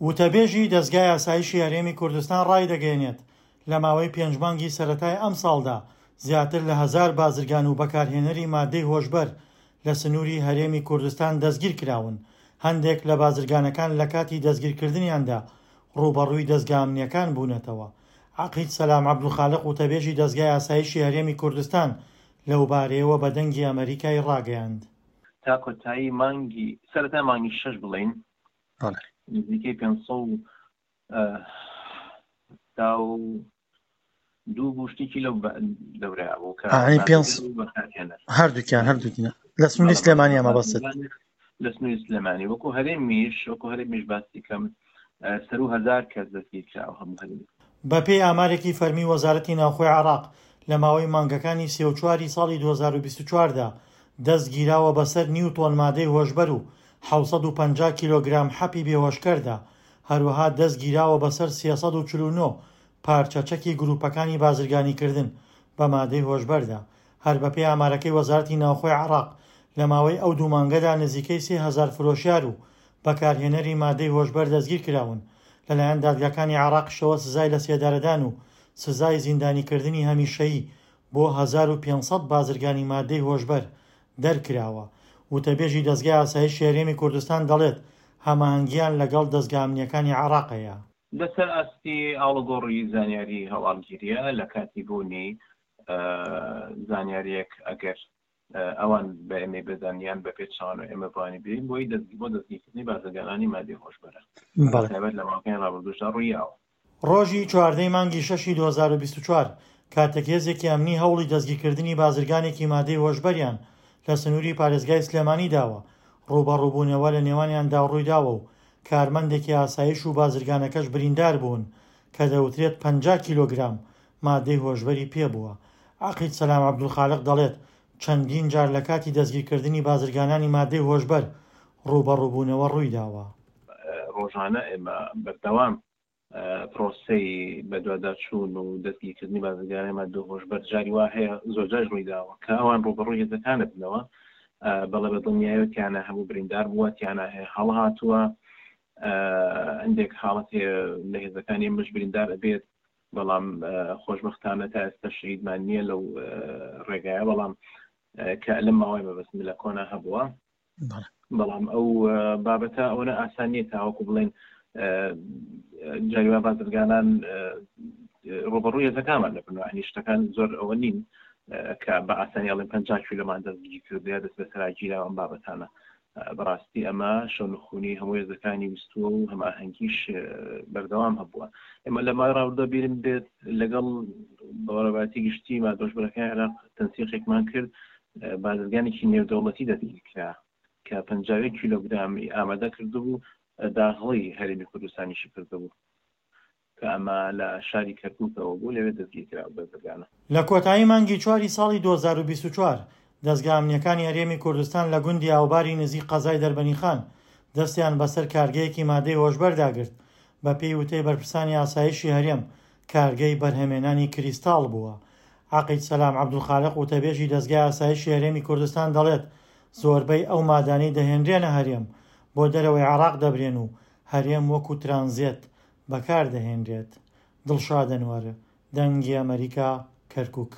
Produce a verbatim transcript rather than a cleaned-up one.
وتەبێژی دەزگای ئاسایشی هەرێمی کوردستان ڕایدەگەیەنێت، لە ماوەی پێنج مانگی سەرەتای ئەمساڵدا زیاتر لە هەزار بازرگان و بەکارهێنەری مادەی هۆشبەر لە سنووری هەرێمی کوردستان دەستگیرکراون، هەندێک لە بازرگانەکان لە کاتی دەستگیرکردنیاندا ڕووبەڕووی دەزگا ئەمنییەکان بوونەتەوە. عەقید سەلام عەبدولخالق وتەبێژی دەزگای ئاسایشی هەرێمی کوردستان لەوبارەیەوە بە دەنگی ئەمەریکای ڕاگەیاند. تا کۆتایی مانگی سەرەتای مانگی شەش بڵێین نزیکەی پێنج سەد و حەفتا و دوو بوو شتێکی لەو دەورەیە بوو کە هەردووکیان هەردووکیان لە سنووری سلێمانی ئەمە بەست لە سنووری سلێمانی وەکو هەرێمیش وەکو هەرێمیش باسی کەم سەرو هەزار کەس دەستگیر کراوە هەموو هەرێمی. بەپێی ئامارێکی فەرمی وەزارەتی ناوخۆی عێراق لە ماوەی مانگەکانی سێ و چواری ساڵی دوو هەزار و بیست و چوار دا دەست گیراوە بەسەر نیو تۆن مادەی هۆشبەر و حەوت سەد و پەنجا کیلۆگرام حەپی بێهۆشکەردا، هەروەها دەست گیراوە بەسەر سێ سەد و چل و نۆ پارچە چەکی گروپەکانی بازرگانیکردن بە مادەی هۆشبەردا. هەر بەپێی ئامارەکەی وەزارەتی ناوخۆی عێراق لە ماوەی ئەو دوو مانگەدا نزیکەی سێ هەزار فرۆشیار و بەکارهێنەری مادەی هۆشبەر دەستگیرکراون، لەلایەن دادگاکانی عێراقیشەوە سزای لەسێدارەدان و سزای زیندانیکردنی هەمیشەیی بۆ هەزار و پێنج سەد بازرگانی مادەی هۆشبەر دەرکراوە. وتەبێژی دەزگای ئاسایشی هەرێمی کوردستان دەڵێت، هەماهەنگییان لەگەڵ دەزگا ئەمنییەکانی عێراق هەیە. لەسەر ئاستی ئاڵوگۆڕی زانیاری هەواڵگیرییە لە کاتی بوونی زانیارییەک ئەگەر ئەوان بە ئێمەی بدەن یان بە پێچەوانەوە ئێمە بوانی بدەین بۆی بۆ دەستگیرکردنی بازرگانانی مادەی هۆشبەرە تایبەت لە ماوەکانی ڕابردووشدا ڕوویاوە. ڕۆژی چواردەی مانگی شەشی دوو هەزار و بیست و چوار کاتێک هێزێکی ئەمنی هەوڵی دەستگیرکردنی بازرگانێکی مادەی هۆشبەریان لە سنووری پارێزگای سلێمانی داوە، ڕووبەڕووبوونەوە لە نێوانیاندا ڕوویداوە و کارمەندێکی ئاسایش و بازرگانەکەش بریندار بوون کە دەوترێت پەنجا کیلۆگرام مادەی هۆشبەری پێبووە. عەقید سەلام عەبدولخالق دەڵێت، چەندین جار لە کاتی دەستگیرکردنی بازرگانانی مادەی هۆشبەر ڕووبەڕووبوونەوە ڕوویداوە. ڕۆژانە ئێمە بەردەوام پرۆسەی بەدواداچوون و دەستگیرکردنی بازرگانانی مادەی هۆشبەر جاری وا هەیە زۆر جاریش ڕوویداوە کە ئەوان ڕووبەڕووی هێزەکانە بنەوە. بەڵێ بە دڵنیایەوە تیانە هەموو بریندار بووە، تیانە هەڵهاتووە، هەندێک حاڵەت هەیە لە هێزەکانی ئێمەش بریندار ئەبێت، بەڵام خۆشبەختانە تا ئێستا شەهیدمان نییە لەو ڕێگایە، بەڵام کە لەم ماوەی مەبەستم لە کۆنا هەبووە. بەڵام ئەو بابەتە ئەوەنە ئاسان نییە تاوەکو بڵێن جاری وا بازرگانان ڕووبەڕووی هێزەکانمان دەبنەوە، یعنی شتەکان زۆر ئەوە نین کە بە ئاسانی ئەڵێن پەنجا کیلۆمان دەستگیر کردووە یا دەست بەسەرا گیراوە ئەم بابەتانە. بەڕاستی ئەمە شەونخونی هەموو هێزەکانی ویستووە و هەماهەنگیش بەردەوام هەبووە. ئێمە لە ماوەی ڕابردوودا بیرم بێت لەگەڵ بەڕێوەبەرایەتی گشتی مادەهۆشبەرەکانی عێراق تەنسیقێکمان کرد، بازرگانێکی نێودەوڵەتی دەستگیر کرا کە پەنجا و یەک کیلۆگرامی ئامادە کردبوو، داخڵی هەرێمی کوردستانیشی کردبوو کە ئەمە لە شاری کەرکووکەوە بوو، لەوێ دەستگیر کرا بازرگانە. لە کۆتایی مانگی چواری ساڵی دوو هەزار و بیست و چوار دەزگا ئەمنییەکانی هەرێمی کوردستان لە گوندی ئاوباری نزیک قەزای دەربەنیخان دەستیان بەسەر کارگەیەکی مادەی هۆشبەردا گرت. بەپێی وتەی بەرپرسانی ئاسایشی هەرێم کارگەی بەرهەمێنانی کریستاڵ بووە. عەقید سەلام عەبدولخالق وتەبێژی دەزگای ئاسایشی هەرێمی کوردستان دەڵێت، زۆربەی ئەو مادانەی دەهێنرێنە هەرێم بۆ دەرەوەی عێراق دەبرێن و هەرێم وەکو ترانزێت بەکار دەهێنرێت. دڵشاد ئەنوەر، دەنگی ئەمەریکا، کەرکوک.